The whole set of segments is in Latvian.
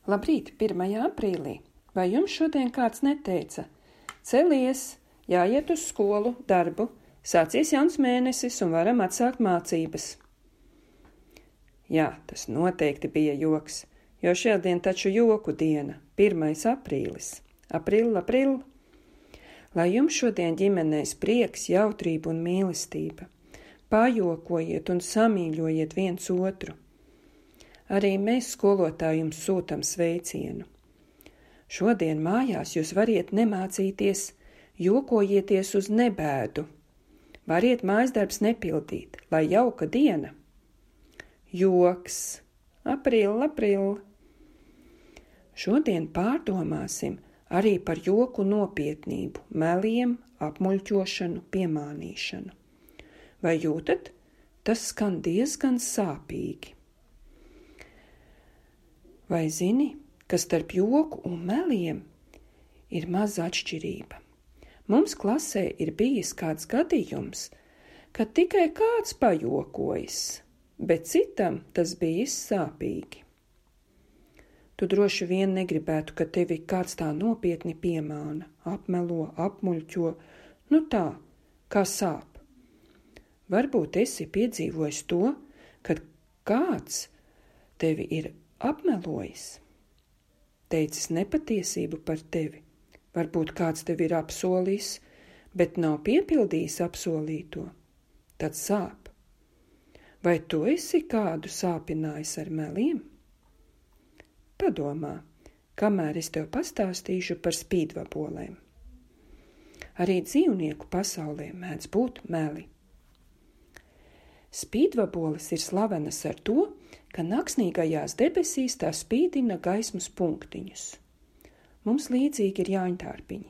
Labrīt, 1. aprīlī. Vai jums šodien kāds neteica? Celies, jāiet uz skolu, darbu, sācies jauns mēnesis un varam atsākt mācības. Jā, tas noteikti bija joks, jo šodien taču joku diena, 1. aprīlis. April. Lai jums šodien ģimenēs prieks, jautrība un mīlestība. Pajokojiet un samīļojiet viens otru. Arī mēs skolotāji jums sūtam sveicienu. Šodien mājās jūs variet nemācīties, jokojieties uz nebēdu. Variet mājasdarbs nepildīt, lai jauka diena. Joks. April. Šodien pārdomāsim arī par joku nopietnību, meliem, apmuļķošanu, piemānīšanu. Vai jūtat? Tas skan diezgan sāpīgi. Vai zini, ka starp joku un meliem ir maza atšķirība? Mums klasē ir bijis kāds gadījums, kad tikai kāds pajokojas, bet citam tas bijis sāpīgi. Tu droši vien negribētu, ka tevi kāds tā nopietni piemāna, apmelo, apmuļķo, tā, kā sāp. Varbūt esi piedzīvojis to, kad kāds tevi ir apmelojis, teicis nepatiesību par tevi. Varbūt kāds tevi ir apsolījis, bet nav piepildījis apsolīto. Tad sāp. Vai tu esi kādu sāpinājis ar meliem? Padomā, kamēr es tev pastāstīšu par spīdvabolēm. Arī dzīvnieku pasaulē mēdz būt meli. Spīdvaboles ir slavenas ar to, ka naksnīgajās debesīs tā spīdina gaismas punktiņus. Mums līdzīgi ir jāņtārpiņi,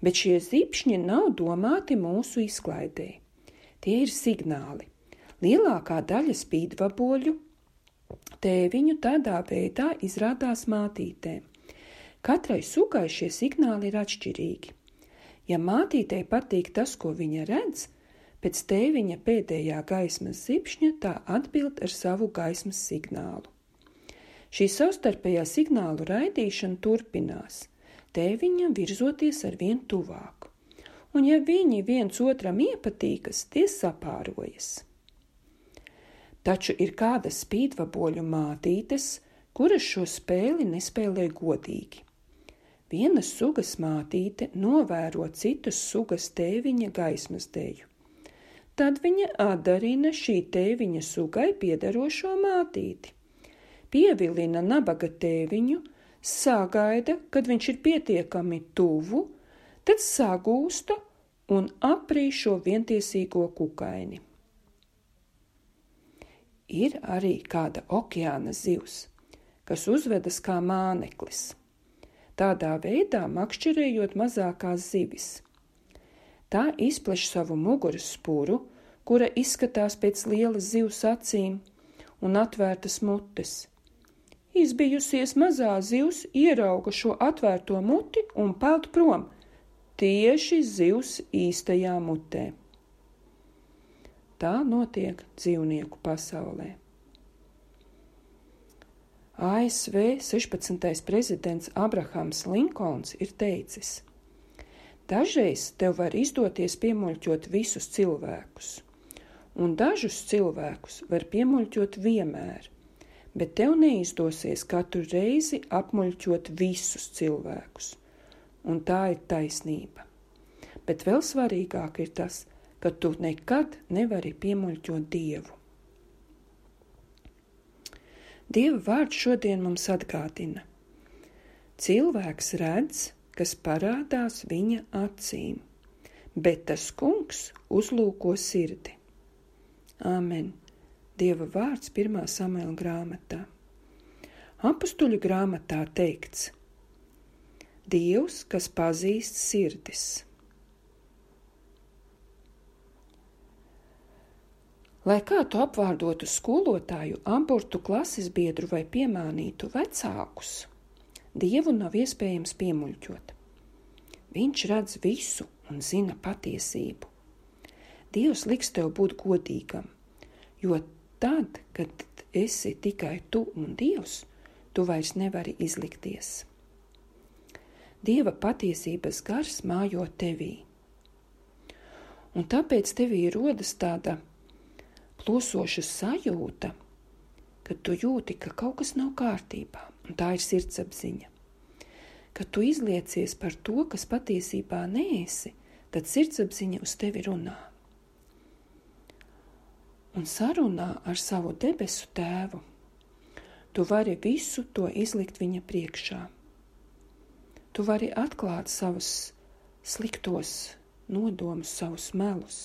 bet šie zipšņi nav domāti mūsu izklaidē. Tie ir signāli. Lielākā daļa spīdvaboļu tēviņu tādā veidā izrādās mātītēm. Katrai sugai šie signāli ir atšķirīgi. Ja mātītei patīk tas, ko viņa redz, pēc tēviņa pēdējā gaismas zipšņa tā atbild ar savu gaismas signālu. Šī savstarpējā signālu raidīšana turpinās, tēviņam virzoties ar vien tuvāk. Un ja viņi viens otram iepatīkas, tie sapārojas. Taču ir kādas spīdvaboļu mātītes, kuras šo spēli nespēlē godīgi. Vienas sugas mātīte novēro citas sugas tēviņa gaismas deju. Tad viņa atdarina šī tēviņa sugai piederošo mātīti. Pievilina nabaga tēviņu, sagaida, kad viņš ir pietiekami tuvu, tad sagūsta un aprī šo vientiesīgo kukaini. Ir arī kāda okeāna zivs, kas uzvedas kā māneklis, tādā veidā makšķerējot mazākās zivis. Tā izpleš savu muguras spuru, kura izskatās pēc lielas zivs acīm un atvērtas mutes. Izbijusies mazā zivs ierauga šo atvērto muti un peld prom, tieši zivs īstajā mutē. Tā notiek dzīvnieku pasaulē. ASV 16. prezidents Abrahams Linkolns ir teicis: dažreiz tev var izdoties piemuļķot visus cilvēkus, un dažus cilvēkus var piemuļķot vienmēr, bet tev neizdosies katru reizi apmuļķot visus cilvēkus, un tā ir taisnība. Bet vēl svarīgāk ir tas, ka tu nekad nevari piemuļķot Dievu. Dieva vārds šodien mums atgādina: cilvēks redz, kas parādās viņa acīm, bet tas kungs uzlūko sirdi. Āmen. Dieva vārds 1. Samuela grāmatā. Apustuļu grāmatā teikts: Dievs, kas pazīst sirdis. Lai kā tu apvārdotu skolotāju, abortu klases biedru vai piemānītu vecākus, Dievu nav iespējams piemuļķot. Viņš redz visu un zina patiesību. Dievs liks tev būt godīgam, jo tad, kad esi tikai tu un Dievs, tu vairs nevari izlikties. Dieva patiesības gars mājo tevī. Un tāpēc tevī rodas tāda plūsoša sajūta, kad tu jūti, ka kaut kas nav kārtībā, un tā ir sirdsapziņa. Kad tu izliecies par to, kas patiesībā neesi, tad sirdsapziņa uz tevi runā. Un sarunā ar savu debesu tēvu tu vari visu to izlikt viņa priekšā. Tu vari atklāt savus sliktos nodomus, savus melus.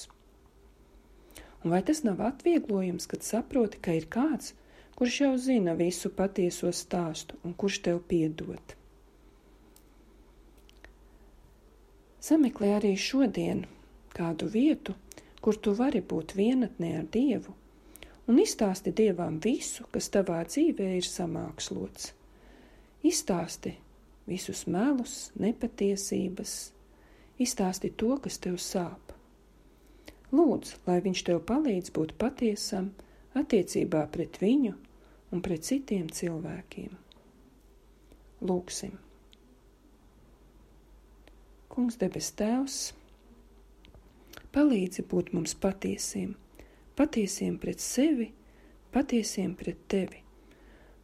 Un vai tas nav atvieglojums, kad saproti, ka ir kāds, kurš jau zina visu patieso stāstu un kurš tev piedod? Sameklē arī šodien kādu vietu, kur tu vari būt vienatnē ar Dievu, un izstāsti Dievam visu, kas tavā dzīvē ir samākslots. Izstāsti visus melus, nepatiesības, izstāsti to, kas tev sāp. Lūdzu, lai viņš tev palīdz būt patiesam attiecībā pret viņu un pret citiem cilvēkiem. Lūgsim. Kungs, debes Tēvs, palīdzi būt mums patiesiem, patiesiem pret sevi, patiesiem pret tevi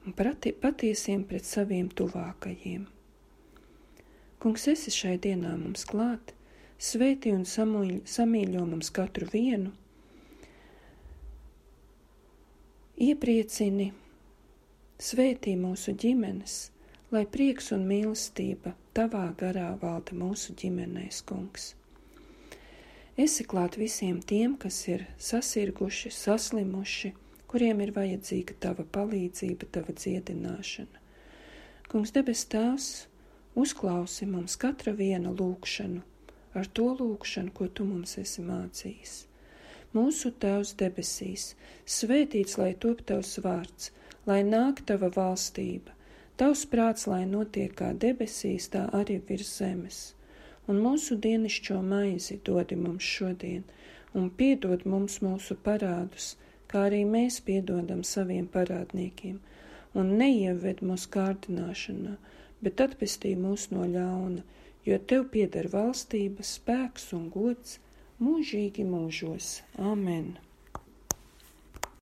un patiesiem pret saviem tuvākajiem. Kungs, esi šai dienā mums klāt, svētī un samīļo mums katru vienu, iepriecini, svētī mūsu ģimenes, lai prieks un mīlestība tavā garā valda mūsu ģimenēs, Kungs. Esi klāt visiem tiem, kas ir sasirguši, saslimuši, kuriem ir vajadzīga tava palīdzība, tava dziedināšana. Kungs, debes Tēvs, uzklausi mums katra viena lūgšanu, ar to lūgšanu, ko tu mums esi mācījis. Mūsu Tēvs debesīs, svētīts lai top tavs vārds, lai nāk tava valstība, tavs prāts, lai notiek kā debesīs, tā arī virs zemes. Un mūsu dienascho maizi dodi mums šodien, un piedod mums mūsu parādus, kā arī mēs piedodam saviem parādniekiem, un neieved mūsu kārdināšanā, bet atpestī mūs no ļauna, jo tev pieder valstība, spēks un gods mūžīgi mūžos. Amen.